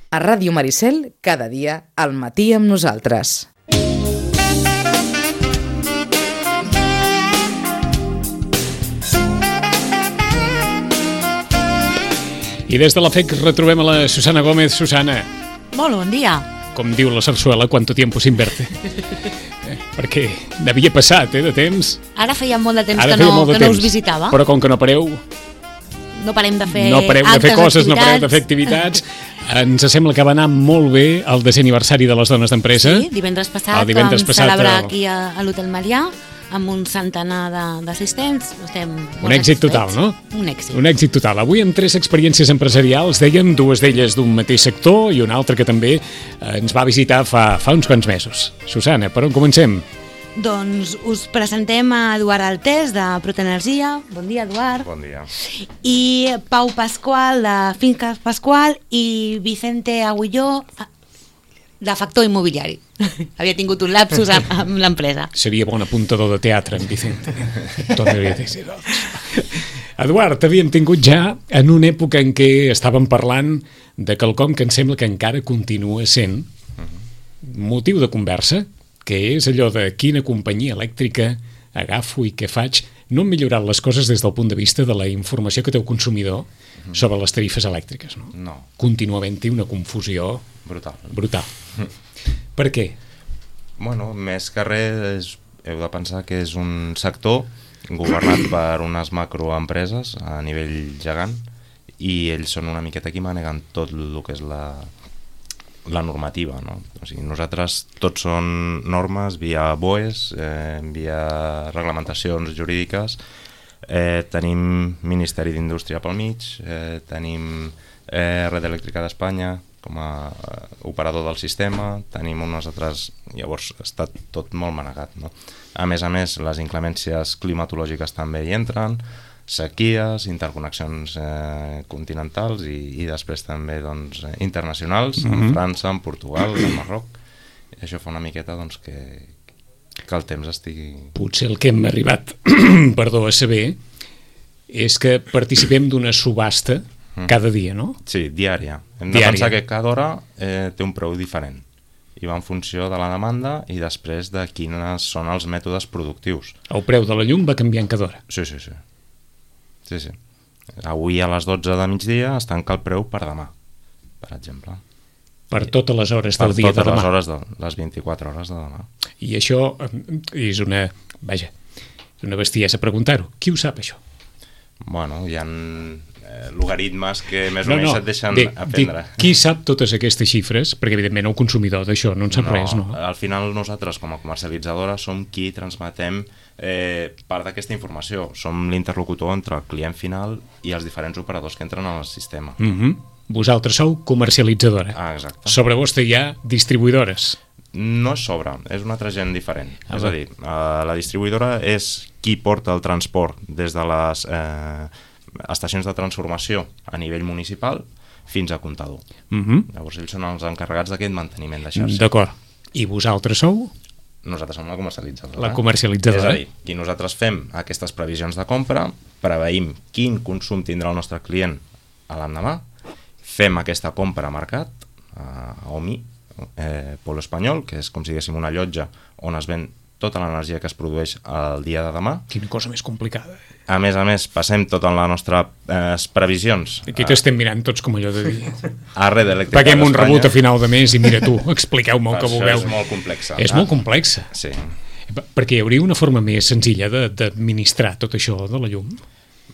A Ràdio Maricel, cada dia, al matí amb nosaltres. I des de la FEC retrobem a la Susana Gómez. Susana. Molt bon dia. Com diu la sarsuela, ¿cuánto tiempo sin verte? Perquè n'havia passat, de temps. Ara feia molt de temps que no us visitava. Però com que no pareu... No parem de fer no pareu de fer coses, activitats. no pareu de fer activitats. Ens sembla que va anar molt bé el 10è aniversari de les dones d'empresa. Sí, divendres passat vam celebrar aquí a l'Hotel Marià amb un centenar d'assistents. Un èxit total, no? Un èxit. Un èxit total. Avui amb 3 experiències empresarials, dèiem, 2 d'elles d'un mateix sector i una altra que també ens va visitar fa uns quants mesos. Susana, per on comencem? Doncs us presentem a Eduard Altés, de Protenergia. Bon dia, Eduard. Bon dia. I Pau Pasqual, de Finques Pasqual, i Vicente Aguilló, de Factor Immobiliari. Havia tingut un lapsus amb l'empresa. Seria bon apuntador de teatre, en Vicente. Eduard, t'havíem tingut ja en una època en què estàvem parlant de quelcom que em sembla que encara continua sent motiu de conversa, que és allò de quina companyia elèctrica agafo i què faig. No han millorat les coses des del punt de vista de la informació que té el consumidor sobre les tarifes elèctriques, no? No. Continua havent-hi una confusió brutal. Per què? Bueno, més que res, heu de pensar que és un sector governat per unes macroempreses a nivell gegant i ells són una miqueta qui maneguen tot el que és la normativa, no? O sigui, nosaltres tots són normes via BOEs, via reglamentacions jurídiques, tenim Ministeri d'Indústria pel mig, tenim Red Elèctrica d'Espanya com a operador del sistema, tenim unes altres... Llavors està tot molt manegat, no? A més, les inclemències climatològiques també hi entren, sequies, interconnexions continentals i després també doncs, internacionals, en França, en Portugal, en Marroc. I això fa una miqueta doncs, que el temps estigui... Potser el que hem arribat a saber és que participem d'una subhasta cada dia, no? Sí, diària. Hem de pensar que cada hora té un preu diferent i va en funció de la demanda i després de quins són els mètodes productius. El preu de la llum va canviant cada hora? Sí. Avui a les 12 de migdia es tanca el preu per demà, per exemple. Per totes les hores del dia de demà? Per totes les hores, les 24 hores de demà. I això és una bestiesa preguntar-ho. Qui ho sap, això? Bueno, hi ha logaritmes que més o menys et deixen aprendre. Qui sap totes aquestes xifres? Perquè, evidentment, el consumidor d'això no en sap res, no? Al final, nosaltres, com a comercialitzadora, som qui transmetem part d'aquesta informació. Som l'interlocutor entre el client final i els diferents operadors que entren al sistema. Vosaltres sou comercialitzadora. Exacte. Sobre vostè hi ha distribuïdores. No és sobre, és un altre gent diferent. És a dir, la distribuïdora és qui porta el transport des de les estacions de transformació a nivell municipal fins a comptador. Llavors ells són els encarregats d'aquest manteniment de xarxa. D'acord. I vosaltres sou? Nosaltres som la comercialitzadora. La comercialitzadora. És a dir, qui nosaltres fem aquestes previsions de compra, preveïm quin consum tindrà el nostre client a l'endemà, fem aquesta compra a mercat, a OMI, Polo Espanyol, que és com si diguéssim una llotja on es ven tota l'energia que es produeix el dia de demà. Quina cosa més complicada. A més, passem totes les nostres previsions. Aquí t'estem mirant tots com allò de dir. A Red Elèctrica d'Espanya. Paguem un rebut a final de mes i mira tu, expliqueu-me el que vulgueu. Això és molt complexa. És molt complexa. Sí. Perquè hi hauria una forma més senzilla d'administrar tot això de la llum?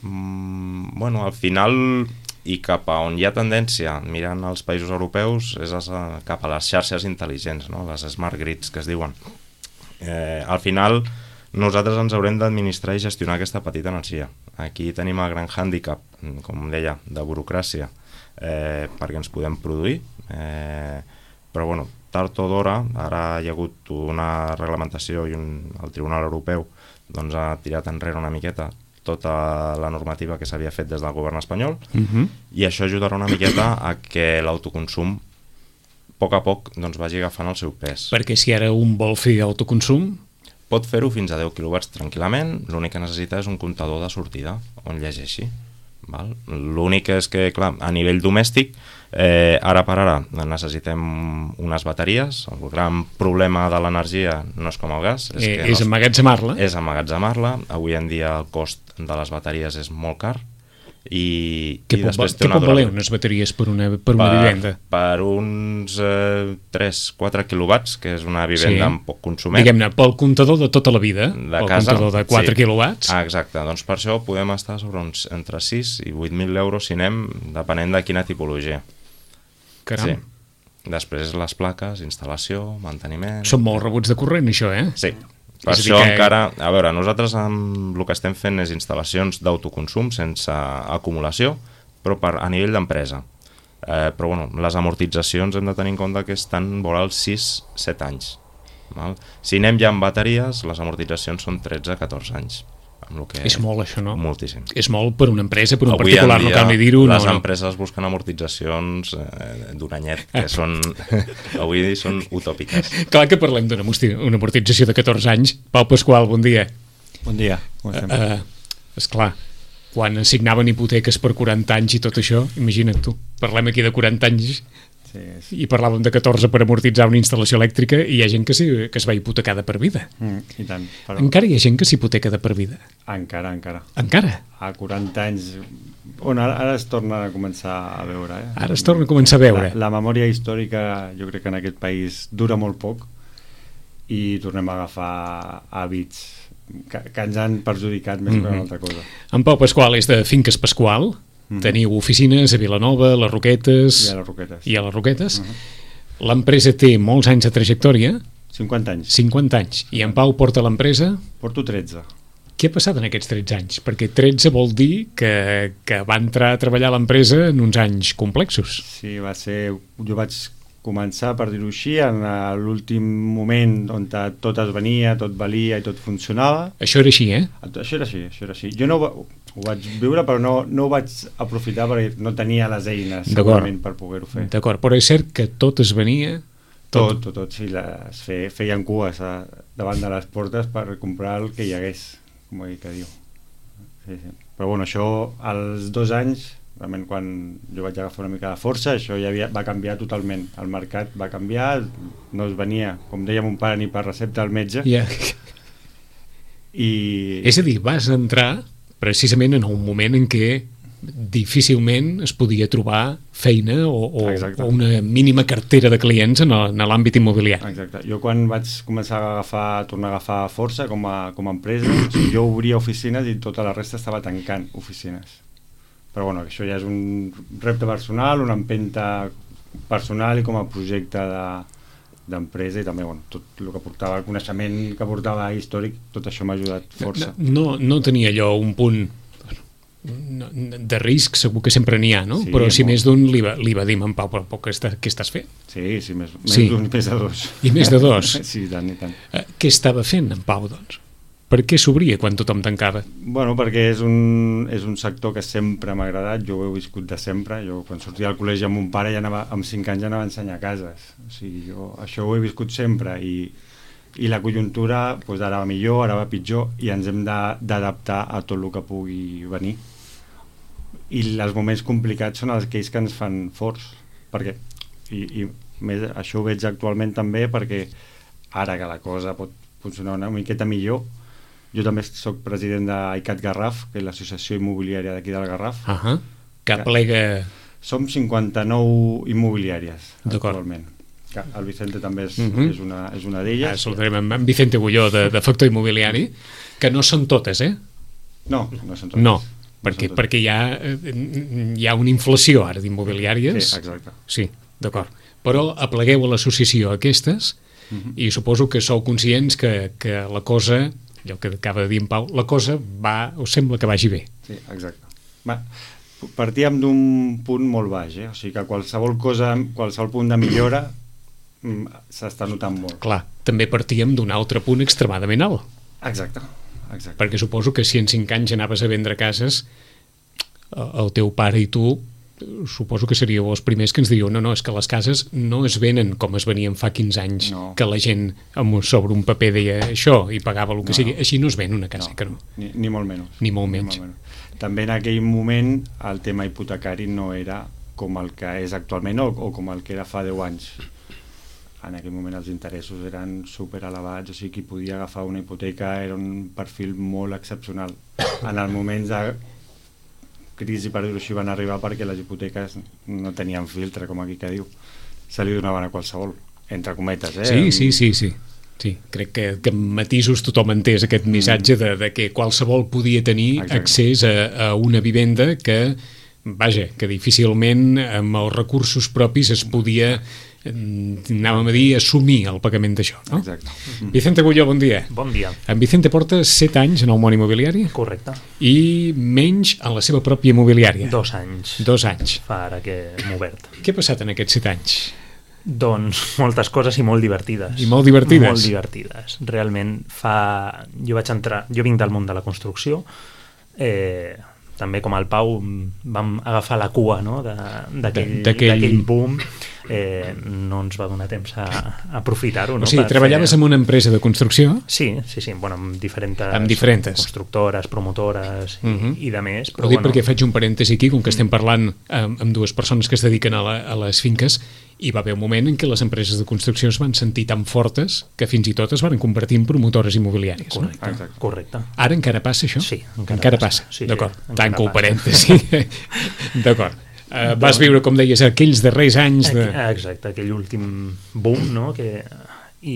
Bueno, al final, i cap a on hi ha tendència, mirant els països europeus, és cap a les xarxes intel·ligents, no? Les smart grids que es diuen. Al final nosaltres ens haurem d'administrar i gestionar aquesta petita energia. Aquí tenim el gran hàndicap, com deia, de burocràcia, perquè ens podem produir, però bueno, tard o d'hora, ara hi ha hagut una reglamentació i el Tribunal Europeu doncs, ha tirat enrere una miqueta tota la normativa que s'havia fet des del govern espanyol i això ajudarà una miqueta a que l'autoconsum a poc doncs, vagi agafant el seu pes. Perquè si ara un vol fer autoconsum... Pot fer-ho fins a 10 kW tranquil·lament, l'únic que necessita és un comptador de sortida on llegeixi. L'únic és que, clar, a nivell domèstic, ara per ara necessitem unes bateries. El gran problema de l'energia no és com el gas, és emmagatzemar-la. És emmagatzemar-la. Avui en dia el cost de les bateries és molt car. Què pot valer unes bateries per una vivenda? Per uns 3-4 quilowatts, que és una vivenda amb poc consument. Diguem-ne, pel comptador de tota la vida, pel comptador de 4 quilowatts. Exacte, doncs per això podem estar sobre uns entre 6 i 8.000 euros si anem, depenent de quina tipologia. Caram. Sí. Després les plaques, instal·lació, manteniment... Són molt rebuts de corrent, això, eh? Sí. Per això encara... A veure, nosaltres el que estem fent és instal·lacions d'autoconsum sense acumulació, però a nivell d'empresa. Però bueno, les amortitzacions hem de tenir en compte que estan vora els 6-7 anys. Si anem ja amb bateries, les amortitzacions són 13-14 anys. És molt, això, no? Moltíssim. És molt per una empresa, per un particular, no cal ni dir-ho. Les empreses busquen amortitzacions d'un anyet, que són, avui són utòpiques. Clar que parlem d'una amortització de 14 anys. Pau Pasqual, bon dia. Bon dia, com estem? Esclar, quan assignaven hipoteques per 40 anys i tot això, imagina't tu, parlem aquí de 40 anys i parlàvem de 14 per amortitzar una instal·lació elèctrica i hi ha gent que es va hipotecar de per vida. I tant. Però... Encara hi ha gent que s'hipoteca de per vida? Encara. Encara? A 40 anys... Ara es torna a començar a veure. Ara es torna a començar a veure. La memòria històrica, jo crec que en aquest país dura molt poc i tornem a agafar hàbits que ens han perjudicat més que una altra cosa. En Pau Pasqual és de Finques Pasqual. Teniu oficines a Vilanova, a les Roquetes... I a les Roquetes. L'empresa té molts anys de trajectòria. 50 anys. 50 anys. I en Pau porta l'empresa? Porto 13. Què ha passat en aquests 13 anys? Perquè 13 vol dir que va entrar a treballar a l'empresa en uns anys complexos. Sí, va ser... Jo vaig començar, per dir-ho així, en l'últim moment on tot es venia, tot valia i tot funcionava. Això era així, eh? Això era així. Jo no ho vaig viure, però no ho vaig aprofitar perquè no tenia les eines segurament per poder-ho fer. D'acord, però és cert que tot es venia... Tot, sí, feien cues davant de les portes per comprar el que hi hagués, com que diu. Sí. Però bueno, això als 2 anys, realment quan jo vaig agafar una mica de força, això ja va canviar totalment. El mercat va canviar, no es venia, com deia mon pare, ni per recepta al metge. És a dir, vas entrar precisament en un moment en què difícilment es podia trobar feina o una mínima cartera de clients en l'àmbit immobiliari. Exacte. Jo quan vaig començar a tornar a agafar força com a empresa, jo obria oficines i tota la resta estava tancant oficines. Però bueno, això ja és un repte personal, una empenta personal i com a projecte d'empresa i també tot el que portava, el coneixement que portava històric, tot això m'ha ajudat força. No tenia allò un punt de risc, segur que sempre n'hi ha, no? Sí, però si més d'un li va dir en Pau, però què estàs fent? Sí, més d'un, més de 2. I més de 2? Sí, tant i tant. Què estava fent en Pau, doncs? Per què s'obria quan tothom tancava? Bueno, perquè és un sector que sempre m'ha agradat, jo ho he viscut de sempre. Jo quan sortia del col·legi amb mon pare amb 5 anys ja anava a ensenyar cases. O sigui, jo això ho he viscut sempre i la conjuntura ara va millor, ara va pitjor i ens hem d'adaptar a tot el que pugui venir. I els moments complicats són aquells que ens fan forts, perquè i més, això ho veig actualment també perquè ara que la cosa pot funcionar una miqueta millor, jo també soc president d'ICAT Garraf, que és l'associació immobiliària d'aquí del Garraf. Que plega... Som 59 immobiliàries actualment. El Vicente també és una d'elles. Saludarem amb Vicente Agulló de Factor Immobiliari, que no són totes, eh? No són totes. No, perquè hi ha una inflació ara d'immobiliàries. Sí, exacte. Sí, d'acord. Però aplegueu a l'associació aquestes i suposo que sou conscients que la cosa, allò que acaba de dir en Pau, la cosa us sembla que vagi bé. Sí, exacte. Partíem d'un punt molt baix, o sigui que qualsevol punt de millora s'està notant molt. Clar, també partíem d'un altre punt extremadament alt. Exacte. Perquè suposo que si en 5 anys anaves a vendre cases, el teu pare i tu suposo que seríeu els primers que ens dieu no, és que les cases no es venen com es venien fa 15 anys, que la gent sobre un paper deia això i pagava el que sigui. Així no es ven una casa, que no. Ni molt menys. Ni molt menys. També en aquell moment el tema hipotecari no era com el que és actualment o com el que era fa 10 anys. En aquell moment els interessos eren super elevats, o sigui, qui podia agafar una hipoteca era un perfil molt excepcional. En els moments de crisi, per dir-ho així, van arribar perquè les hipoteques no tenien filtre, com aquí que diu. Se li donaven a qualsevol, entre cometes, Sí, crec que amb matisos tothom entès aquest missatge de que qualsevol podia tenir accés a una vivenda que difícilment amb els recursos propis es podia, anàvem a dir, assumir el pagament d'això, no? Exacte. Vicente Agulló, bon dia. Bon dia. En Vicente porta 7 anys en el món immobiliari? Correcte. I menys en la seva pròpia immobiliària? 2 anys. 2 anys. Fa ara que hem obert. Què ha passat en aquests 7 anys? Doncs moltes coses i molt divertides. I molt divertides? Molt divertides. Realment jo vinc del món de la construcció, també com el Pau vam agafar la cua, no? d'aquell boom, no ens va donar temps a aprofitar-ho, no? O sigui, treballaves en una empresa de construcció? Sí, bueno, amb diferents constructores, promotores i de més. Però dic perquè faig un parèntesi aquí, com que estem parlant amb dues persones que es dediquen a les finques, hi va haver un moment en què les empreses de construcció es van sentir tan fortes que fins i tot es van convertir en promotores immobiliàries. Correcte. Ara encara passa això? Sí, encara passa. Sí, d'acord, tanco el parèntesi. D'acord. Vas viure, com deies, aquells darrers anys de... Exacte, aquell últim boom, no? I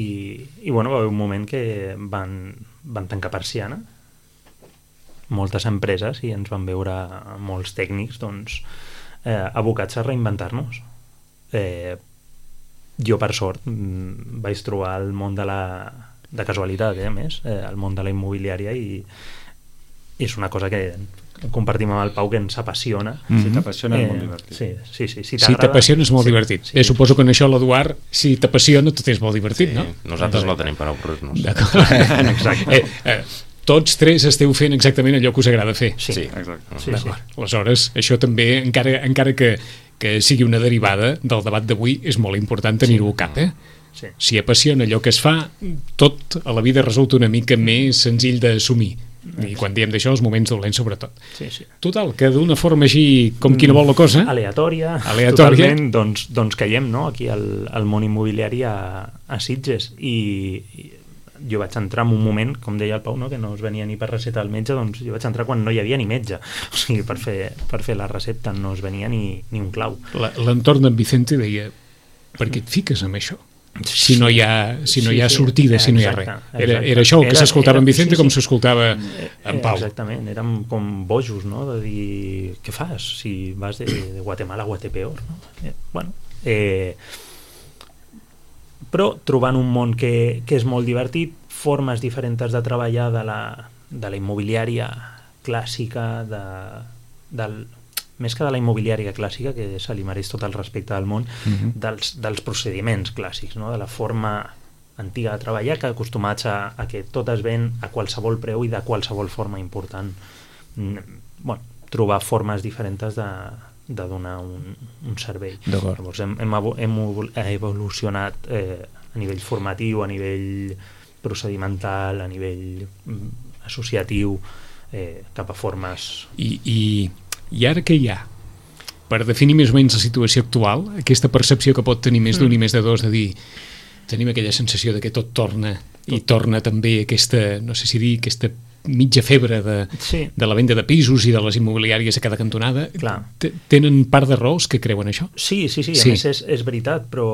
bueno, va haver un moment que van tancar persiana moltes empreses i ens van veure molts tècnics abocats a reinventar-nos. Jo, per sort, vaig trobar el món de casualitat, a més, el món de la immobiliària, i és una cosa que compartim amb el Pau, que ens apassiona. Si t'apassiona és molt divertit. Sí. Si t'apassiona és molt divertit. Suposo que en això l'Eduard, si t'apassiona, tot és molt divertit, no? Nosaltres no tenim per avorrir-nos. D'acord. Exacte. Tots tres esteu fent exactament allò que us agrada fer. Sí, exacte. Aleshores, això també, encara que sigui una derivada del debat d'avui, és molt important tenir-ho al cap, Sí. Si apassiona allò que es fa, tot a la vida resulta una mica més senzill d'assumir. I quan diem d'això, els moments dolents sobretot. Sí. Total, que d'una forma així com qui no vol la cosa... Aleatòria. Totalment, doncs caiem, no?, aquí al món immobiliari a Sitges, i jo vaig entrar en un moment, com deia el Pau, no?, que no es venia ni per recepta al metge, doncs jo vaig entrar quan no hi havia ni metge. O sigui, per fer la recepta no es venia ni un clau. L'entorn d'en Vicente deia, per què et fiques amb això? Si no hi ha sortida, si no hi ha res. Era això el que s'escoltava en Vicente, com s'escoltava en Pau. Exactament, érem com bojos, no?, de dir, què fas si vas de Guatemala a Guatepeor, no? Bueno, però trobant un món que és molt divertit, formes diferents de treballar de la immobiliària clàssica, més que de la immobiliària clàssica, que se li mereix tot el respecte del món, dels procediments clàssics, no?, de la forma antiga de treballar, que acostumats a que tot es ven a qualsevol preu i de qualsevol forma important. Bueno, trobar formes diferents de donar un servei. Llavors hem evolucionat a nivell formatiu, a nivell procedimental, a nivell associatiu, cap a formes... I ara què hi ha? Per definir més o menys la situació actual, aquesta percepció que pot tenir més d'un i més de dos, de dir, tenim aquella sensació de que tot torna, i torna també aquesta, no sé si dir, aquesta mitja febre de la venda de pisos i de les immobiliàries a cada cantonada. Tenen part de raons que creuen això? Sí, a més és veritat, però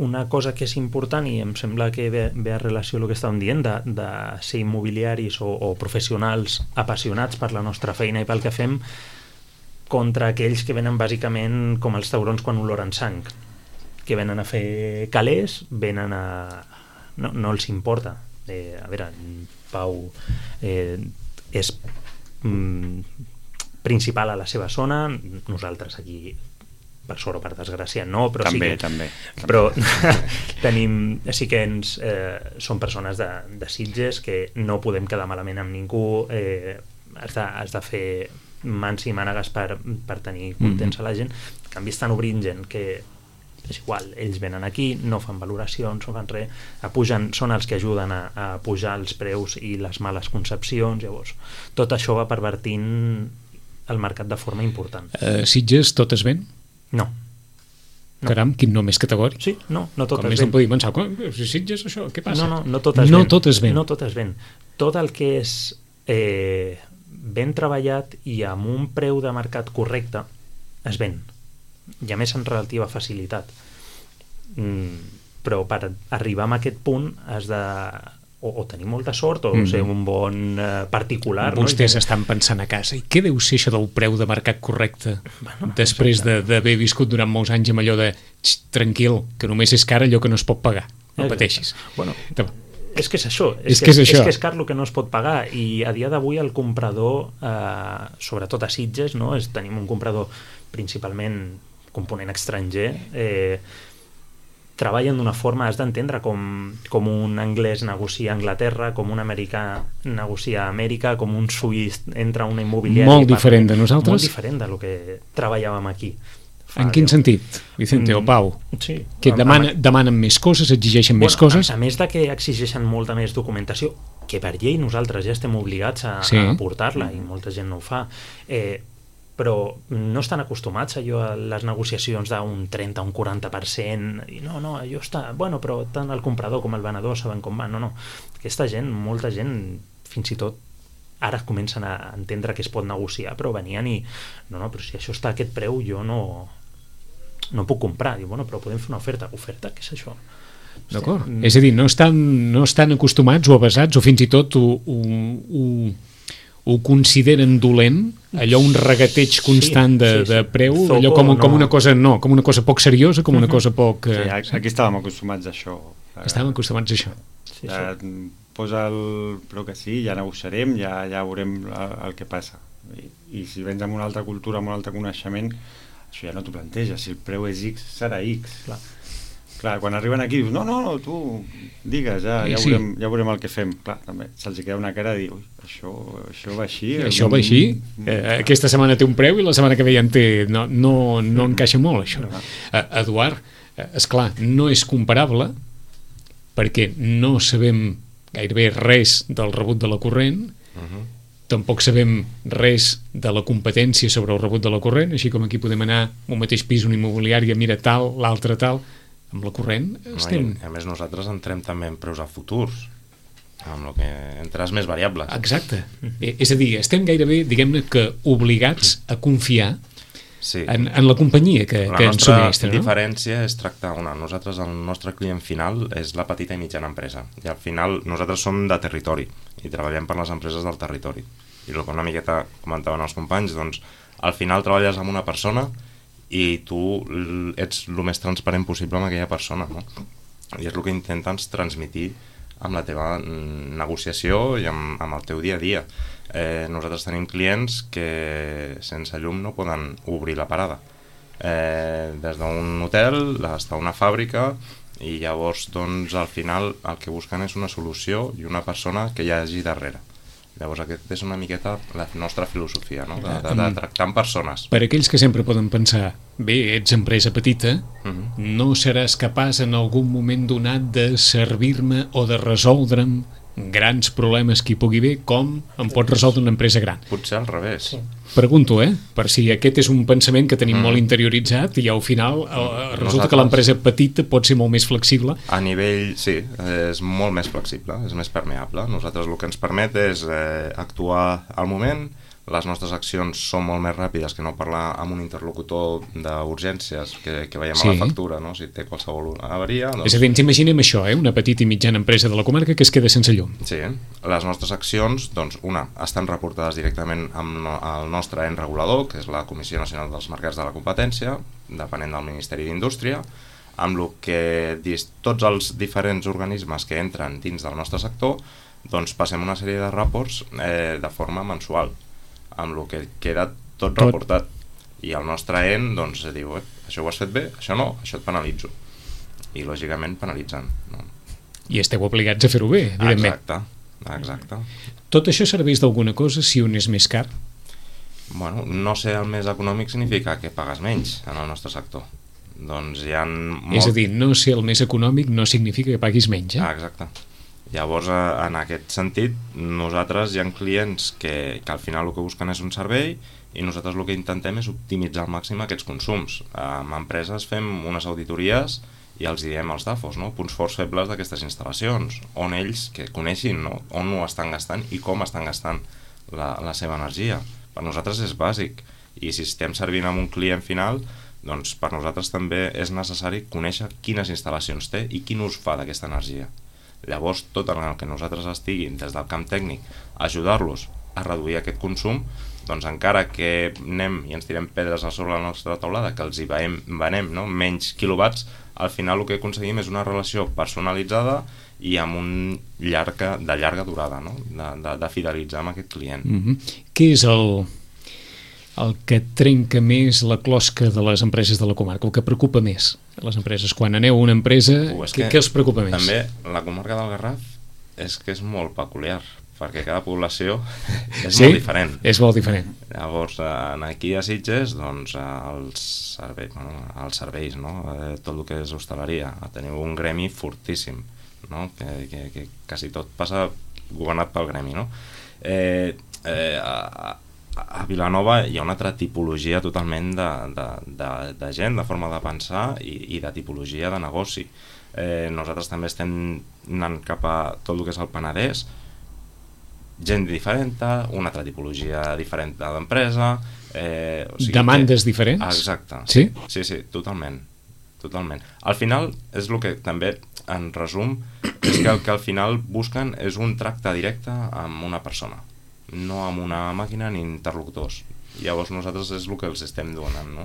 una cosa que és important, i em sembla que ve a relació amb el que estàvem dient, de ser immobiliaris o professionals apassionats per la nostra feina i pel que fem, contra aquells que venen bàsicament com els taurons quan oloren sang, que venen a fer calés, venen a... No els importa. A veure, Pau és principal a la seva zona, nosaltres aquí, per sort o per desgràcia, no, però també. Però tenim... Sí que som persones de Sitges que no podem quedar malament amb ningú, has de fer mans i mànegues per tenir contents a la gent. En canvi estan obrint gent que és igual, ells venen aquí, no fan valoracions, no fan res, pugen, són els que ajuden a pujar els preus i les males concepcions. Llavors tot això va pervertint el mercat de forma important. Sitges tot es ven? No. Caram, quin nom més categòric. Sí, no tot com es més ven. no podia pensar, si Sitges això, què passa? No tot es ven. No tot es ven. No tot es ven. Tot el que és ben treballat i amb un preu de mercat correcte es ven, i a més amb relativa facilitat. Però per arribar a aquest punt has de o tenir molta sort o ser un bon particular. Vostès estan pensant a casa, i què deu ser això del preu de mercat correcte? Després d'haver viscut durant molts anys amb allò de tranquil, que només és car allò que no es pot pagar, no pateixis. Bueno, és que és això, és que és car el que no es pot pagar, i a dia d'avui el comprador, sobretot a Sitges, tenim un comprador principalment component estranger, treballen d'una forma, has d'entendre com un anglès negocia a Anglaterra, com un americà negocia a Amèrica, com un suís entra a una immobiliària. Molt diferent de nosaltres? Molt diferent del que treballàvem aquí. En quin sentit, Vicente o Pau? Sí. Que demanen més coses, exigeixen més coses? A més de que exigeixen molta més documentació, que per llei nosaltres ja estem obligats a aportar-la, i molta gent no ho fa, però no estan acostumats a les negociacions d'un 30 o un 40%, i no, allò està... Bueno, però tant el comprador com el venedor saben com va. No. Aquesta gent, molta gent, fins i tot ara comencen a entendre que es pot negociar, però venien i... No, però si això està a aquest preu, jo no puc comprar. Diu, però podem fer una oferta. Oferta? Què és això? D'acord. És a dir, no estan acostumats o avasats, o fins i tot ho consideren dolent, allò un regateig constant de preu, allò com una cosa com una cosa poc seriosa, com una cosa poc... Aquí estàvem acostumats a això. Estàvem acostumats a això. Posa el preu que sí, ja negociarem, ja veurem el que passa. I si vens amb una altra cultura, amb un altre coneixement, això ja no t'ho planteges. Si el preu és X, serà X. Clar, quan arriben aquí dius, no, tu digues, ja veurem el que fem. Clar, també se'ls queda una cara de dir, això va així. Això va així? Aquesta setmana té un preu i la setmana que ve ja en té... No encaixa molt, això. Eduard, esclar, no és comparable perquè no sabem gairebé res del rebut de la corrent, tampoc sabem res de la competència sobre el rebut de la corrent, així com aquí podem anar a un mateix pis, una immobiliària, mira tal, l'altre tal. Amb la corrent estem... A més, nosaltres entrem també en preus a futurs, amb el que entres més variables. Exacte. És a dir, estem gairebé, diguem-ne, que obligats a confiar en la companyia que ens subministra. La nostra diferència és tractar nosaltres, el nostre client final és la petita i mitjana empresa, i al final nosaltres som de territori i treballem per les empreses del territori, i el que una miqueta comentaven els companys, doncs al final treballes amb una persona i tu ets el més transparent possible amb aquella persona, no? I és el que intentes transmitir amb la teva negociació i amb el teu dia a dia. Nosaltres tenim clients que sense llum no poden obrir la parada, des d'un hotel fins a una fàbrica, i llavors doncs al final el que busquen és una solució i una persona que hi hagi darrere. Llavors aquesta és una miqueta la nostra filosofia, no? de tractar amb persones. Per aquells que sempre poden pensar, bé, ets empresa petita, no seràs capaç en algun moment donat de servir-me o de resoldre'm grans problemes que hi pugui haver, com em pot resoldre una empresa gran. Potser al revés. Pregunto, per si aquest és un pensament que tenim molt interioritzat i al final resulta que l'empresa petita pot ser molt més flexible. A nivell, sí, és molt més flexible, és més permeable. Nosaltres el que ens permet és actuar al moment. Les nostres accions són molt més ràpides que no parlar amb un interlocutor d'urgències que veiem a la factura, no? Si té qualsevol avaria... És a dir, ens imaginem això, una petita i mitjana empresa de la comarca que es queda sense llum. Sí, les nostres accions, doncs, estan reportades directament amb el nostre ens regulador, que és la Comissió Nacional dels Mercats de la Competència, depenent del Ministeri d'Indústria, amb el que tots els diferents organismes que entren dins del nostre sector, doncs passem una sèrie de reports de forma mensual, amb el que queda tot reportat, i el nostre EN doncs diu, això ho has fet bé, això no, això et penalitzo, i lògicament penalitzen, no? I esteu obligats a fer-ho bé, evidentment. Exacte. Tot això serveix d'alguna cosa si un és més car? Bueno, no ser el més econòmic significa que pagues menys en el nostre sector. Doncs hi ha És a dir, no ser el més econòmic no significa que paguis menys, Exacte. Llavors, en aquest sentit, nosaltres hi ha clients que al final el que busquen és un servei i nosaltres el que intentem és optimitzar al màxim aquests consums. Amb empreses fem unes auditories i els diem als DAFOs, no? Punts forts febles d'aquestes instal·lacions, on ells que coneixin, no? On ho estan gastant i com estan gastant la seva energia. Per nosaltres és bàsic, i si estem servint amb un client final, doncs per nosaltres també és necessari conèixer quines instal·lacions té i quin ús fa d'aquesta energia. Llavors, tot en el que nosaltres estiguin des del camp tècnic a ajudar-los a reduir aquest consum, doncs encara que anem i ens tirem pedres a sobre la nostra taulada, que els hi venem, no? Menys quilowatts, al final el que aconseguim és una relació personalitzada i amb de llarga durada, no? De fidelitzar amb aquest client. Què és el que trenca més la closca de les empreses de la comarca, el que preocupa més a les empreses? Quan aneu a una empresa, què els preocupa més? També la comarca del Garraf és que és molt peculiar, perquè cada població és molt diferent. És molt diferent. Llavors, aquí a Sitges, doncs, els serveis, no? Tot el que és hostaleria, teniu un gremi fortíssim, no? Que quasi tot passa governat pel gremi, no? A Vilanova hi ha una altra tipologia totalment de gent, de forma de pensar i de tipologia de negoci. Nosaltres també estem anant cap a tot el que és el Penedès, gent diferent, una altra tipologia diferent d'empresa, demandes diferents? Exacte. Sí? Sí, totalment. Al final és el que també en resum és que el que al final busquen és un tracte directe amb una persona, no amb una màquina ni interlocutors. Llavors nosaltres és el que els estem donant, no?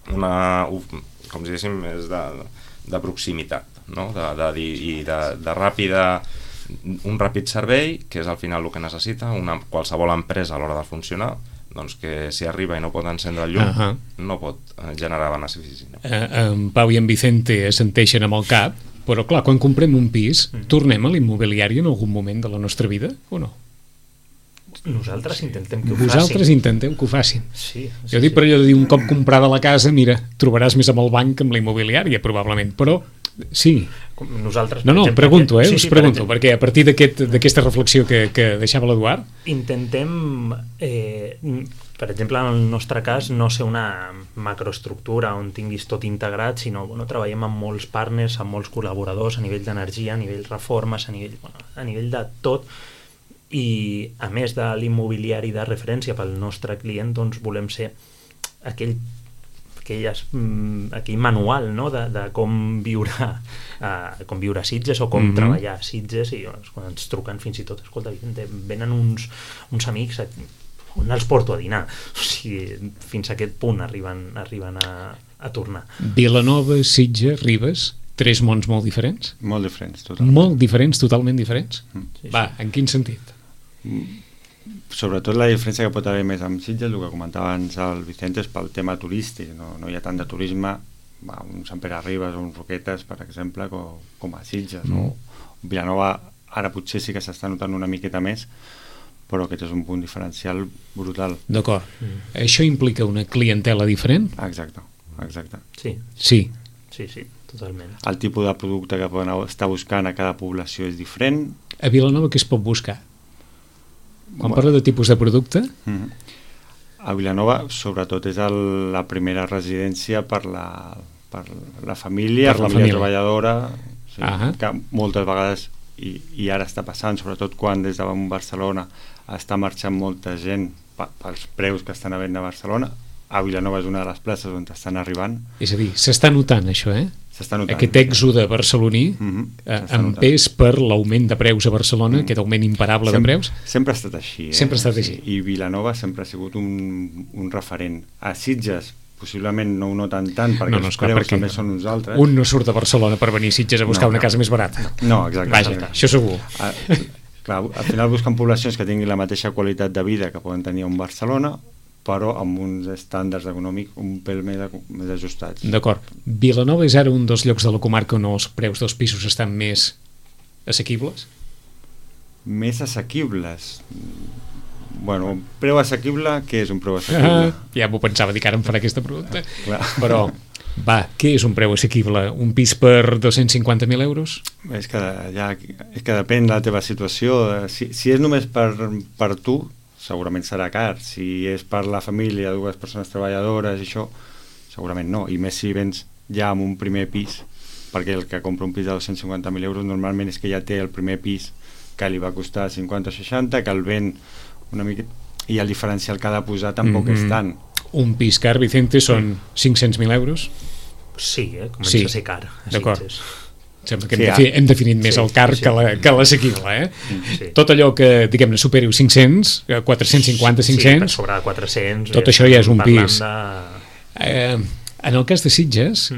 Com si diguéssim, és de proximitat, no? De ràpida, un ràpid servei, que és al final el que necessita qualsevol empresa a l'hora de funcionar, doncs que si arriba i no pot encendre el llum, no pot generar benefici. En Pau i en Vicente assenteixen amb el cap, però clar, quan comprem un pis, tornem a l'immobiliari en algun moment de la nostra vida, o no? Nosaltres intentem que ho facin. Vosaltres intenteu que ho facin. Sí, jo dic per allò de dir un cop comprada la casa, mira, trobaràs més amb el banc que amb la immobiliària, probablement, però sí. Nosaltres, no, exemple, pregunto, sí, us pregunto, perquè a partir d'aquesta reflexió que deixava l'Eduard... Intentem, per exemple, en el nostre cas, no ser una macroestructura on tinguis tot integrat, sinó treballem amb molts partners, amb molts col·laboradors a nivell d'energia, a nivell reformes, a nivell de tot, i a més de l'immobiliari de referència pel nostre client, doncs volem ser aquell manual, no? de com viure a Sitges o com treballar a Sitges, i quan ens truquen fins i tot, escolta, venen uns amics on els porto a dinar, o sigui, fins a aquest punt arriben a tornar. Vilanova, Sitges, Ribes, tres mons molt diferents? Molt diferents, totalment. Molt diferents, totalment diferents? Sí. Va, en quin sentit? Sobretot la diferència que pot haver més amb Sitges, el que comentava abans el Vicente, és pel tema turístic, no hi ha tant de turisme, un Sant Pere Ribes o un Roquetes, per exemple, com a Sitges, no? Vilanova ara potser sí que s'està notant una miqueta més, però aquest és un punt diferencial brutal. D'acord. Això implica una clientela diferent? Exacte. Sí, totalment. El tipus de producte que poden estar buscant a cada població és diferent. A Vilanova què es pot buscar? Quan parla de tipus de producte? A Vilanova, sobretot, és la primera residència per la família, per la família treballadora, sí, que moltes vegades, i ara està passant, sobretot quan des de Barcelona està marxant molta gent pels preus que estan havent a Barcelona. A Vilanova és una de les places on estan arribant. És a dir, s'està notant això, S'està notant. Aquest èxode barceloní en pes per l'augment de preus a Barcelona, aquest augment imparable de preus. Sempre ha estat així. Sempre ha estat així. I Vilanova sempre ha sigut un referent. A Sitges possiblement no ho noten tant, perquè els preus també són uns altres. Un no surt de Barcelona per venir a Sitges a buscar una casa més barata. No, exacte. Vaja, això segur. Clar, al final busquen poblacions que tinguin la mateixa qualitat de vida que poden tenir a un Barcelona, però amb uns estàndards econòmics un pèl més ajustats. D'acord. Vilanova és ara un dels llocs de la comarca on els preus dels pisos estan més assequibles? Més assequibles? Bueno, preu assequible, què és un preu assequible? Ja m'ho pensava, dir que ara em farà aquesta pregunta. Clar. Però, va, què és un preu assequible? Un pis per 250.000 euros? És que depèn de la teva situació. Si és només per tu, segurament serà car. Si és per la família, dues persones treballadores i això, segurament no. I més si vens ja amb un primer pis, perquè el que compra un pis de 250.000 euros normalment és que ja té el primer pis que li va costar 50 o 60, que el ven una mica, i el diferencial que ha de posar tampoc és tant. Un pis car, Vicente, són 500.000 euros? Sí, comença a ser car. D'acord. Sembla que Sí, hem definit més el car que l'assequible, Sí. Tot allò que, diguem-ne, superi 500, 450, 500... Sí, per sobre de 400... Tot això ja és un pis. De... En el cas de Sitges,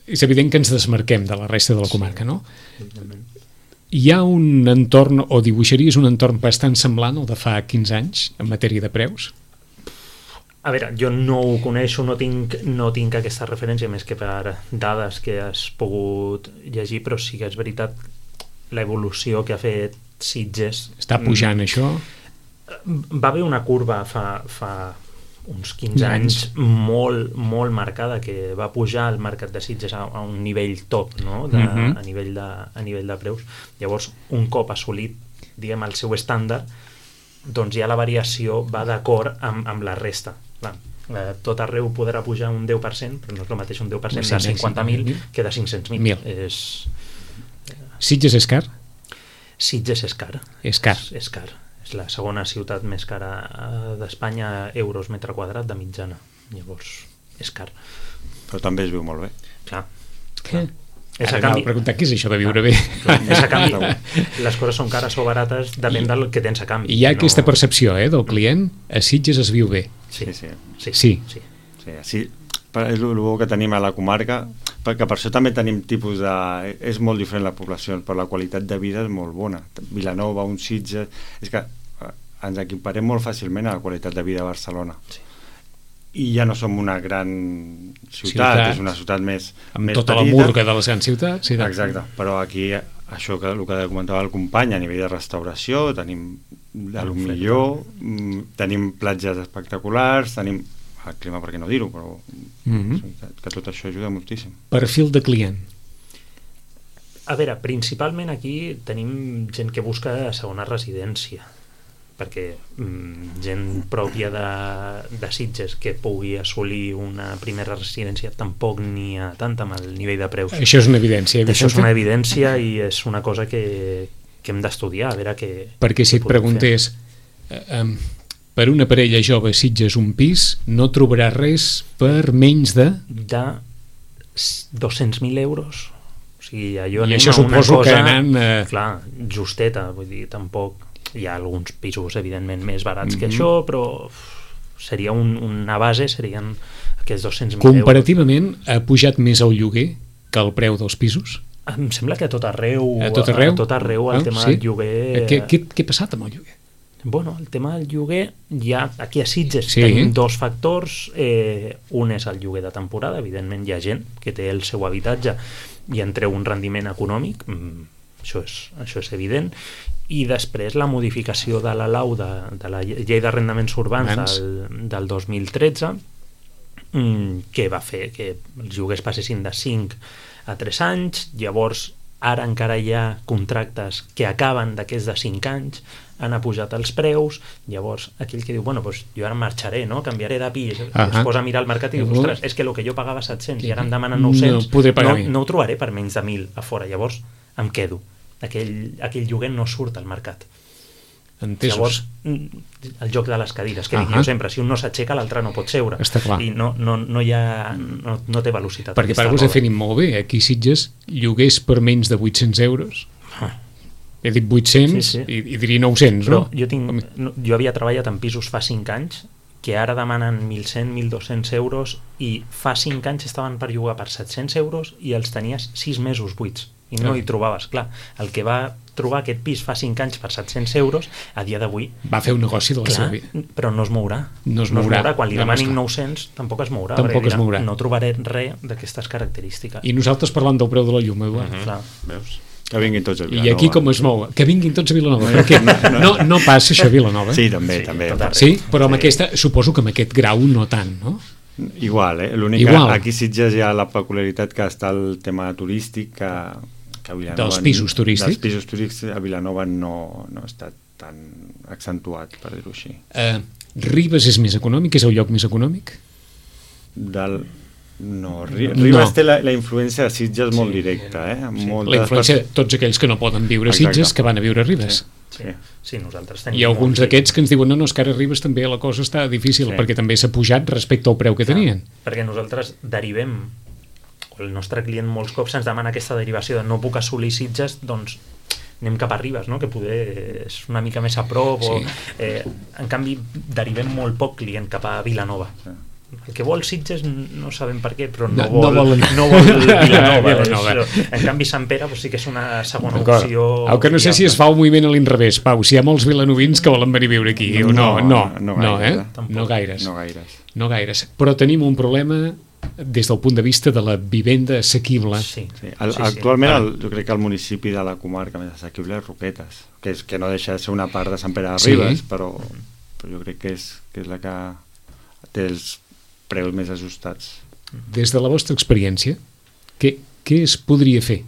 és evident que ens desmarquem de la resta de la comarca, no? Hi ha un entorn, o dibuixaries un entorn bastant semblant al de fa 15 anys en matèria de preus? A veure, jo no ho coneixo, no tinc aquesta referència més que per dades que has pogut llegir, però sí que és veritat l'evolució que ha fet Sitges. Està pujant això? Va haver una curva fa uns 15 anys molt marcada, que va pujar el mercat de Sitges a un nivell top, no? A nivell de preus. Llavors, un cop assolit, diguem, el seu estàndard, doncs ja la variació va d'acord amb la resta. Clar, tot arreu podrà pujar un 10%, però no és el mateix un 10% de 50.000 que de 500.000. Sitges és car? Sitges és car. És car. És car. És la segona ciutat més cara d'Espanya, euros metre quadrat de mitjana. Llavors, és car. Però també es viu molt bé. Clar. Ara anava a preguntar què és això de viure bé. És a canvi. Les coses són cares o barates, depèn del que tens a canvi. I hi ha aquesta percepció del client, a Sitges es viu bé. Sí. Sí. És el bo que tenim a la comarca, perquè per això també tenim tipus de... És molt diferent la població, però la qualitat de vida és molt bona. Vilanova, un Sitges... És que ens equiparem molt fàcilment a la qualitat de vida de Barcelona. Sí. I ja no som una gran ciutat, és una ciutat més amb més tota petita. La murga de les grans ciutats. Sí, exacte, però aquí això que el que comentava el company, a nivell de restauració tenim el millor, tenim platges espectaculars, tenim el clima, per què no dir-ho, però que tot això ajuda moltíssim. Perfil de client. A veure, principalment aquí tenim gent que busca segona residència, perquè gent pròpia de Sitges que pugui assolir una primera residència tampoc n'hi ha tant amb el nivell de preus. Això és una evidència. Això és una evidència i és una cosa que hem d'estudiar, a veure què... Perquè si et preguntés per una parella jove a Sitges un pis, no trobaràs res per menys de 200.000 euros. O sigui, allò i això suposo que anant... Clar, justeta, vull dir, tampoc... Hi ha alguns pisos, evidentment, més barats que això, però seria una base, serien aquests 200.000 euros. Comparativament, ha pujat més el lloguer que el preu dels pisos? Em sembla que a tot arreu, a tot arreu el tema del lloguer... Què ha passat amb el lloguer? Bueno, el tema del lloguer, ja aquí a Sitges tenim dos factors. Un és el lloguer de temporada, evidentment hi ha gent que té el seu habitatge i en treu un rendiment econòmic, això és evident, i després la modificació de la LAU de la llei d'arrendaments urbans del 2013, que va fer que els lloguers passessin de 5 a 3 anys. Llavors ara encara hi ha contractes que acaben d'aquests de 5 anys, han pujat els preus. Llavors aquell que diu, bueno, pues jo ara marxaré, no? Canviaré de pis, es posa a mirar el mercat i diu, ostres, és que el que jo pagava 700 i ara em demanen 900, no ho trobaré per menys de 1.000 a fora, llavors em quedo. Aquell lloguer no surt al mercat. Entesos. Llavors, el joc de les cadires, que dic jo sempre, si un no s'aixeca l'altre no pot seure. Està clar. I no té velocitat. Perquè per vos definim molt bé, aquí a Sitges lloguers per menys de 800 euros. He dit 800 i diria 900, però no? Jo havia treballat en pisos fa 5 anys que ara demanen 1.100, 1.200 euros i fa 5 anys estaven per llogar per 700 euros i els tenies 6 mesos buits i no hi trobaves. Clar, el que va trobar aquest pis fa 5 anys per 700 euros, a dia d'avui... Va fer un negoci de la seva vida. Però no es mourà. No es mourà. Quan li demanin 900, tampoc es mourà. Tampoc es mourà. No trobaré res d'aquestes característiques. I nosaltres parlant del preu de la llum, Eduard. Clar. Veus? Que vinguin tots a Vilanova. I aquí com es mou? Que vinguin tots a Vilanova. Perquè no passa això a Vilanova. Sí, també. Sí, però amb aquesta, suposo que amb aquest grau no tant, no? Igual, l'únic que aquí a Sitges hi ha la peculiaritat que està el tema turístic, que a Vilanova... Dels pisos turístics. Dels pisos turístics a Vilanova no està tan accentuat, per dir-ho així. Ribes és més econòmic? És el lloc més econòmic? No, Ribes té la influència de Sitges molt directa, La influència de tots aquells que no poden viure a Sitges que van a viure a Ribes. Sí, nosaltres tenim... Hi ha alguns d'aquests que ens diuen no, és que ara a Ribes també la cosa està difícil, perquè també s'ha pujat respecte al preu que tenien. Perquè nosaltres derivem, el nostre client molts cops ens demana aquesta derivació de no puc assolir Sitges, doncs anem cap a Ribes, no? Que poder és una mica més a prop, en canvi derivem molt poc client cap a Vilanova. El que vol Sitges no sabem per què, però no vol Vilanova. En canvi Sant Pere sí que és una segona opció. Que no sé si es fa un moviment a l'inrevés, Pau, si hi ha molts vilanovins que volen venir a viure aquí. No gaires. Però tenim un problema des del punt de vista de la vivenda assequible. Actualment jo crec que el municipi de la comarca més assequible és Roquetes, que no deixa de ser una part de Sant Pere de Ribes, però jo crec que és la que té els preus més ajustats. Des de la vostra experiència, què es podria fer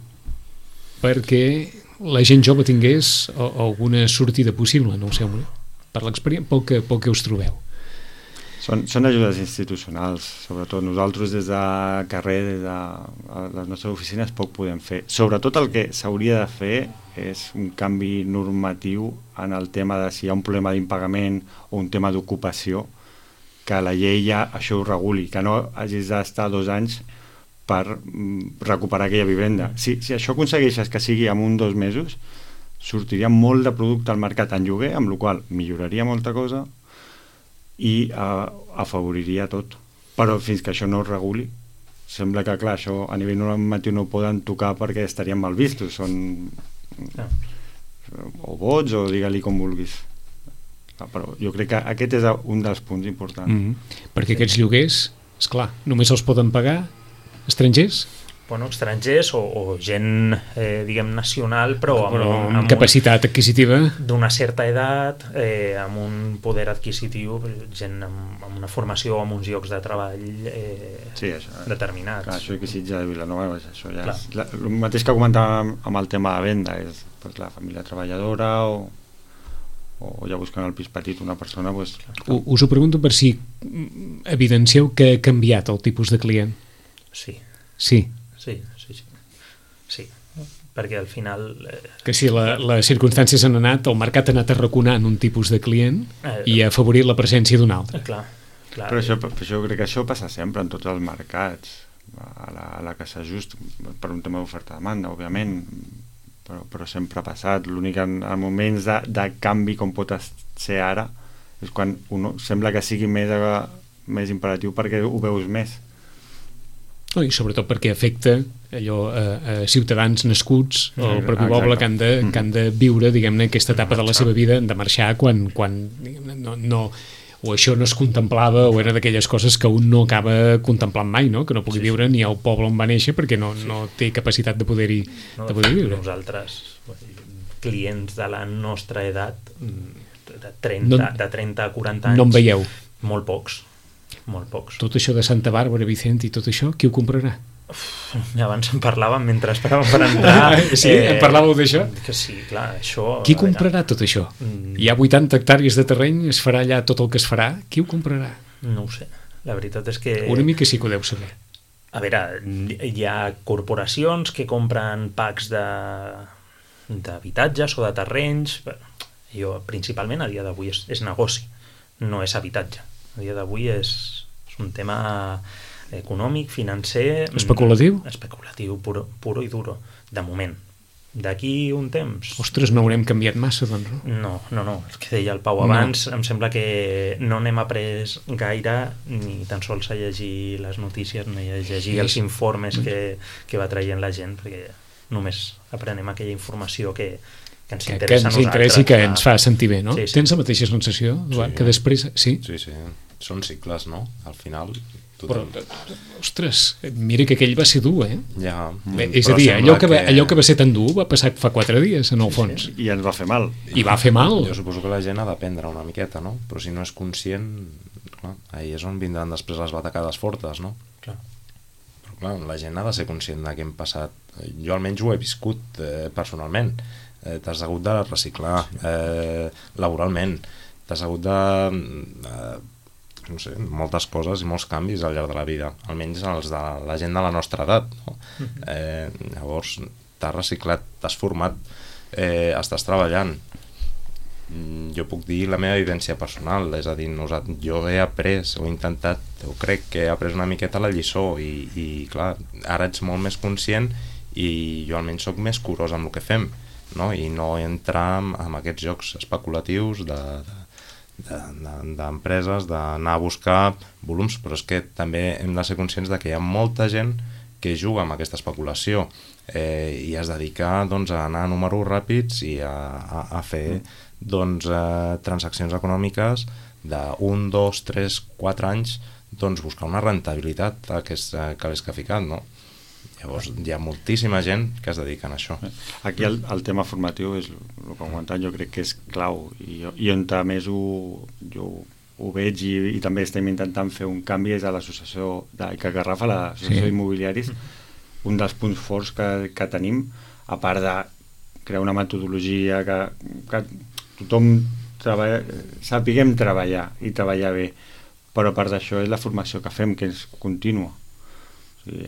perquè la gent jove tingués alguna sortida possible? No ho sé, per l'experiència, pel que us trobeu. Són ajudes institucionals, sobretot nosaltres des de carrer, des de les nostres oficines poc podem fer. Sobretot el que s'hauria de fer és un canvi normatiu en el tema de si hi ha un problema d'impagament o un tema d'ocupació, que la llei ja això ho reguli, que no hagis d'estar 2 anys per recuperar aquella vivenda. Si això aconsegueixes que sigui en 1 o 2 mesos, sortiria molt de producte al mercat en lloguer, amb la qual milloraria molta cosa i afavoriria tot. Però fins que això no es reguli, sembla que, clar, això a nivell normatiu no ho poden tocar perquè estarien mal vistos, són o vots o digue-li com vulguis. Però jo crec que aquest és un dels punts importants. Perquè aquests lloguers, esclar, només els poden pagar estrangers? Bueno, estrangers o gent, diguem, nacional, però amb capacitat adquisitiva d'una certa edat, amb un poder adquisitiu, gent amb una formació, amb uns llocs de treball determinats. Clar, això que Sitges de Vilanova, això ja és el mateix que comentàvem amb el tema de venda, és la família treballadora o ja buscant el pis petit una persona. Us ho pregunto per si evidencieu que ha canviat el tipus de client. Sí, perquè al final que si les circumstàncies han anat, el mercat ha anat arraconant un tipus de client i ha afavorit la presència d'un altre. Però això jo crec que això passa sempre en tots els mercats, a la que s'ajusta per un tema d'oferta-demanda, òbviament, però sempre ha passat. L'únic en moments de canvi com pot ser ara és quan sembla que sigui més imperatiu perquè ho veus més. I sobretot perquè afecta a ciutadans nascuts al propi poble que han de viure, diguem-ne, aquesta etapa de la seva vida, han de marxar quan o això no es contemplava o era d'aquelles coses que un no acaba contemplant mai, no? Que no pugui viure ni al poble on va néixer perquè no té capacitat de poder-hi viure. Nosaltres, clients de la nostra edat, de 30 a 40 anys, no en veieu? Molt pocs. Tot això de Santa Bàrbara, Vicent i tot això, qui ho comprarà? Abans en parlàvem mentre esperàvem per entrar. Sí, en parlàveu d'això? Que sí, clar, això... Qui comprarà tot això? Hi ha 80 hectàrees de terreny, es farà allà tot el que es farà, qui ho comprarà? No ho sé, la veritat és que... Una mica sí que ho deu saber. A veure, hi ha corporacions que compren packs d'habitatges o de terrenys. Jo, principalment, a dia d'avui és negoci, no és habitatge. A dia d'avui és un tema econòmic, financer... Especulatiu? Especulatiu, puro i duro, de moment. D'aquí un temps... Ostres, no haurem canviat massa, doncs, no? No, el que deia el Pau abans, em sembla que no n'hem après gaire ni tan sols a llegir les notícies ni a llegir els informes que va traient la gent, perquè només aprenem aquella informació que ens que interessa ens a interessa i que nosaltres, ens fa sentir bé, no? Sí, sí. Tens la mateixa sensació, Eduard, que després... Sí? Sí, són cicles, no? Al final... Però, ostres, mira que aquell va ser dur, eh? Ja, Bé, és a dir, allò que va ser tan dur va passar fa 4 dies, en el fons. I ens va fer mal. I va fer mal. Jo suposo que la gent ha d'aprendre una miqueta, no? Però si no és conscient, clar, ahí és on vindran després les batacades fortes, no? Clar. Però clar, la gent ha de ser conscient de què hem passat. Jo almenys ho he viscut personalment. T'has hagut de reciclar laboralment, t'has hagut de no sé, moltes coses i molts canvis al llarg de la vida, almenys els de la gent de la nostra edat, no? Llavors t'has reciclat, t'has format, estàs treballant. Jo puc dir la meva vivència personal, és a dir, jo he après, ho he intentat, jo crec que he après una miqueta la lliçó i clar, ara ets molt més conscient i jo almenys sóc més curós amb el que fem, no? I no entrar en aquests jocs especulatius d'empreses, d'anar a buscar volums, però és que també hem de ser conscients de que hi ha molta gent que juga amb aquesta especulació i es dedica doncs, a anar a números ràpids i a fer doncs, transaccions econòmiques de 1, 2, 3, 4 anys, doncs buscar una rentabilitat que l'és que ha ficat, no? Llavors hi ha moltíssima gent que es dedica a això. Aquí el tema formatiu és el que he comentat, jo crec que és clau i on més jo ho veig i també estem intentant fer un canvi és a l'associació que agafa l'associació d'immobiliaris. Un dels punts forts que tenim, a part de crear una metodologia que tothom sapiguem treballar i treballar bé, però a part d'això és la formació que fem, que és contínua.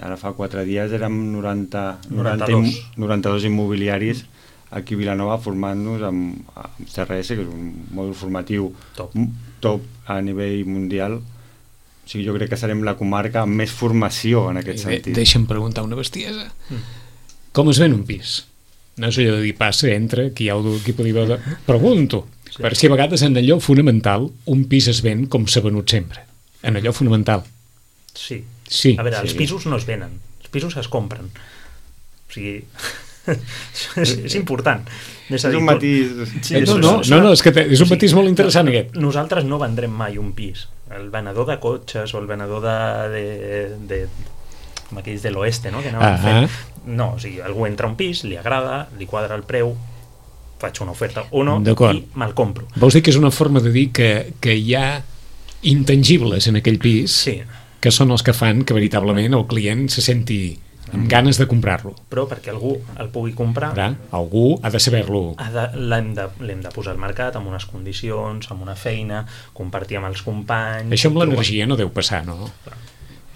Ara fa 4 dies érem 92 immobiliaris aquí a Vilanova formant-nos amb CRS, que és un mòdul formatiu top a nivell mundial. O sigui, jo crec que serem la comarca amb més formació en aquest sentit. Deixa'm preguntar una bestiesa. Com es ven un pis? No és allò de dir passa, entra, qui podria veure... Pregunto, per si a vegades en allò fonamental un pis es ven com s'ha venut sempre. En allò fonamental. Sí. Sí. A veure, els pisos no es venen, els pisos es compren. O sigui, és important. És un matís... No, és que és un matís molt interessant aquest. Nosaltres no vendrem mai un pis. El venedor de cotxes o el venedor com aquells de l'oeste, no? Que anaven fent. No, o sigui, algú entra a un pis, li agrada, li quadra el preu, faig una oferta o no i me'l compro. Vols dir que és una forma de dir que hi ha intangibles en aquell pis? Sí. Que són els que fan que veritablement el client se senti amb ganes de comprar-lo. Però perquè algú el pugui comprar... Algú ha de saber-lo. L'hem de posar al mercat amb unes condicions, amb una feina, compartir amb els companys... Això amb l'energia no deu passar, no?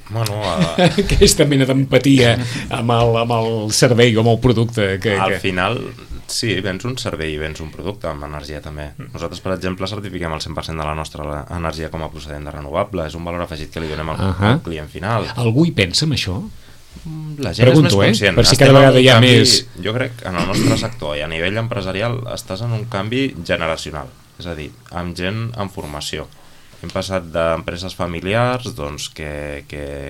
Bueno, aquesta mena d'empatia amb el servei o amb el producte al final sí, vens un servei i vens un producte amb energia també. Nosaltres, per exemple, certifiquem el 100% de la nostra energia com a procedent de renovable. És un valor afegit que li donem al client final. Algú hi pensa en això? La gent és més conscient. Per si cada vegada hi ha més... Jo crec que en el nostre sector i a nivell empresarial estàs en un canvi generacional, és a dir, amb gent en formació. Hem passat d'empreses familiars doncs, que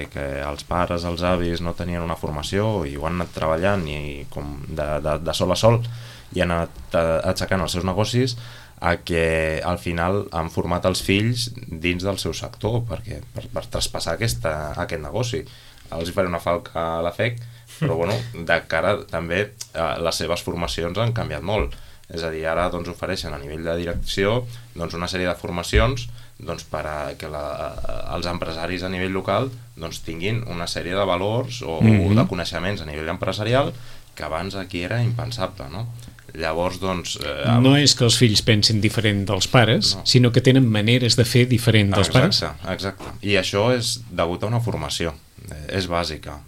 els pares, els avis no tenien una formació i ho han anat treballant i com de sol a sol i han anat aixecant els seus negocis a que al final han format els fills dins del seu sector per traspassar aquest negoci. Els hi faré una falca a la FEC, però bueno, de cara també les seves formacions han canviat molt. És a dir, ara doncs, ofereixen a nivell de direcció doncs, una sèrie de formacions doncs, per a que els empresaris a nivell local doncs, tinguin una sèrie de valors o de coneixements a nivell empresarial que abans aquí era impensable, no? Llavors, doncs... No és que els fills pensin diferent dels pares, sinó que tenen maneres de fer diferent dels pares. Exacte. I això és degut a una formació. És bàsica.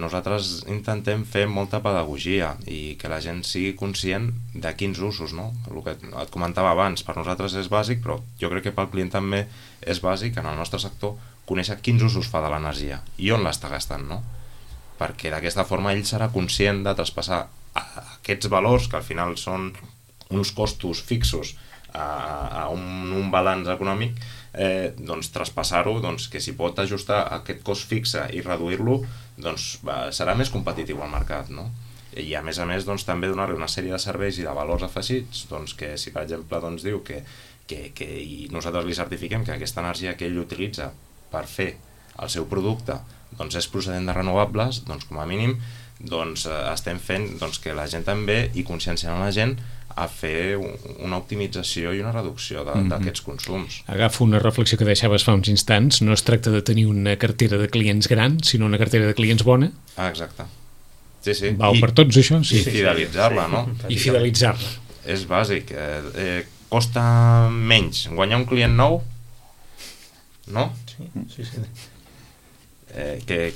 Nosaltres intentem fer molta pedagogia i que la gent sigui conscient de quins usos, no? El que et comentava abans, per nosaltres és bàsic, però jo crec que pel client també és bàsic en el nostre sector conèixer quins usos fa de l'energia i on l'està gastant, no? Perquè d'aquesta forma ell serà conscient de traspassar aquests valors, que al final són uns costos fixos a un balanç econòmic, doncs traspassar-ho, doncs, que si pot ajustar aquest cost fixe i reduir-lo, doncs serà més competitiu al mercat, no? I a més, doncs, també donar-li una sèrie de serveis i de valors afegits, doncs, que si per exemple doncs, diu que i nosaltres li certifiquem que aquesta energia que ell utilitza per fer el seu producte doncs, és procedent de renovables, doncs com a mínim doncs, estem fent doncs, que la gent també i conscienciant la gent a fer una optimització i una reducció d'aquests consums. Agafo una reflexió que deixaves fa uns instants. No es tracta de tenir una cartera de clients gran, sinó una cartera de clients bona. Exacte. Sí. Val per tots, això? Sí. I fidelitzar-la, no? I fidelitzar-la. És bàsic. Costa menys guanyar un client nou, no? Sí. Que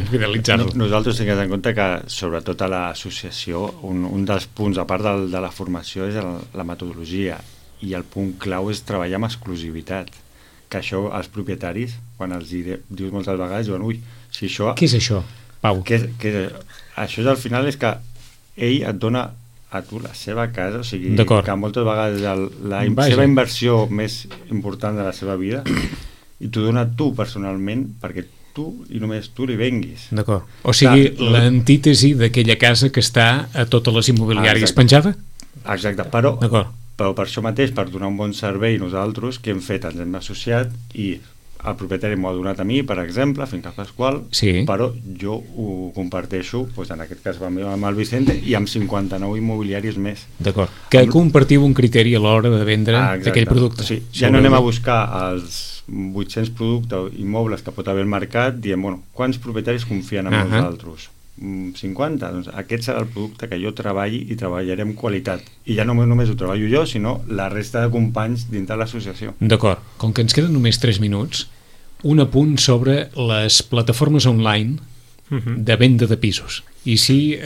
fidelitzar-lo. Nosaltres tinguem en compte que sobretot a l'associació un dels punts, a part de la formació, és la metodologia, i el punt clau és treballar amb exclusivitat, que això els propietaris, quan els dius moltes vegades, diuen, ui, si això... Què és això, Pau? Això és, al final és que ell et dona a tu la seva casa, o sigui, que moltes vegades la seva inversió més important de la seva vida i t'ho dona tu personalment perquè tu i només tu li venguis. D'acord. O sigui, l'antítesi d'aquella casa que està a totes les immobiliàries penjada? Exacte, però per això mateix, per donar un bon servei nosaltres, que hem fet, ens hem associat i el propietari m'ho ha donat a mi, per exemple, a Finques Pasqual, però jo ho comparteixo, doncs en aquest cas amb el Vicente i amb 59 immobiliaris més. D'acord. Que compartiu un criteri a l'hora de vendre aquell producte. Sí, ja no anem a buscar els 800 productes immobles que pot haver al mercat, diem, bueno, quants propietaris confien en nosaltres? 50? Doncs aquest serà el producte que jo treballi i treballaré amb qualitat. I ja no només ho treballo jo, sinó la resta de companys dintre de l'associació. D'acord. Com que ens queden només 3 minuts, un apunt sobre les plataformes online de venda de pisos. I si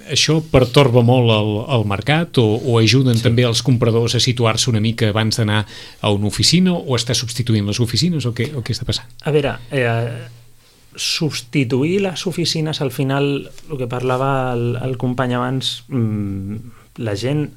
això pertorba molt el mercat o ajuden també els compradors a situar-se una mica abans d'anar a una oficina, o està substituint les oficines, o què està passant? A veure, substituir les oficines, al final, el que parlava el company abans, la gent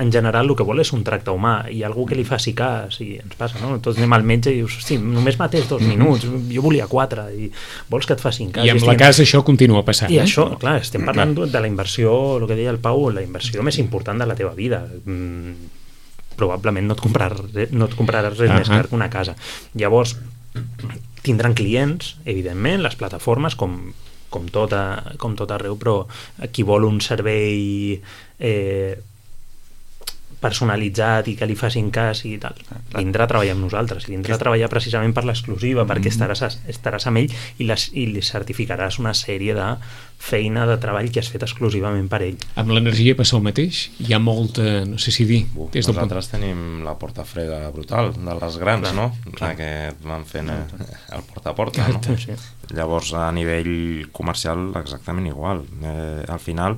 en general el que vol és un tracte humà i algú que li faci cas, i ens passa, no? Tots anem al metge i dius, hosti, només m'atès 2 minuts, jo volia 4, i vols que et facin cas. I amb la casa això continua passant. I això, clar, estem parlant de la inversió, el que deia el Pau, la inversió més important de la teva vida. Probablement no et compraràs res més car que una casa. Llavors, tindran clients, evidentment, les plataformes, com tot arreu, però qui vol un servei personalitzat i que li facin cas i tal, vindrà a treballar amb nosaltres, vindrà a treballar precisament per l'exclusiva, perquè estaràs amb ell i li certificaràs una sèrie de feina de treball que has fet exclusivament per ell. Amb l'energia passa el mateix? Hi ha molta, no sé si dir... Nosaltres tenim la porta freda brutal, de les grans, no? Que van fent el porta a porta, no? Llavors, a nivell comercial, exactament igual. Al final,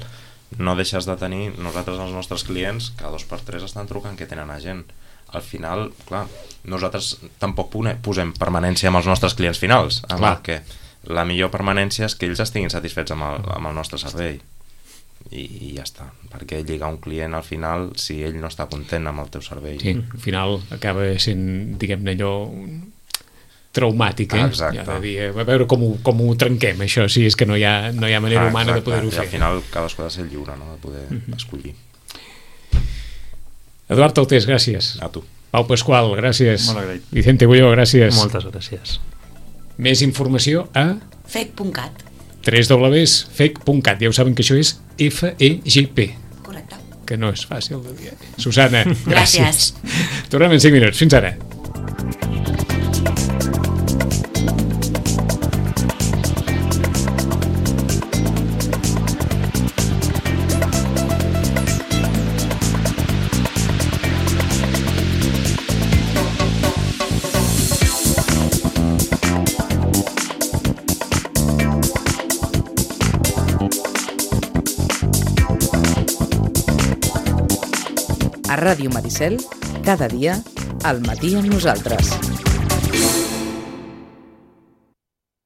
no deixes de tenir, nosaltres els nostres clients cada 2 per 3 estan trucant que tenen a gent. Al final, clar, nosaltres tampoc posem permanència amb els nostres clients finals, que la millor permanència és que ells estiguin satisfets amb el nostre servei i ja està, perquè lligar un client al final si ell no està content amb el teu servei. Sí, al final acaba sent, diguem-ne, allò traumàtic, Exacte. Ja de dir, a veure com ho trenquem, això, si és que no hi ha manera humana de poder-ho fer. I al final cadascú ha de ser lliure, no?, de poder escollir. Eduard Altés, gràcies. A tu. Pau Pasqual, gràcies. Molt agraït. Vicente Bulló, gràcies. Moltes gràcies. Més informació a fec.cat. www.fec.cat. Ja ho saben que això és FEGP. Correcte. Que no és fàcil de dir. Susana, gràcies. Gràcies. Tornem en 5 minuts. Fins ara. A Ràdio Maricel, cada dia, al matí amb nosaltres.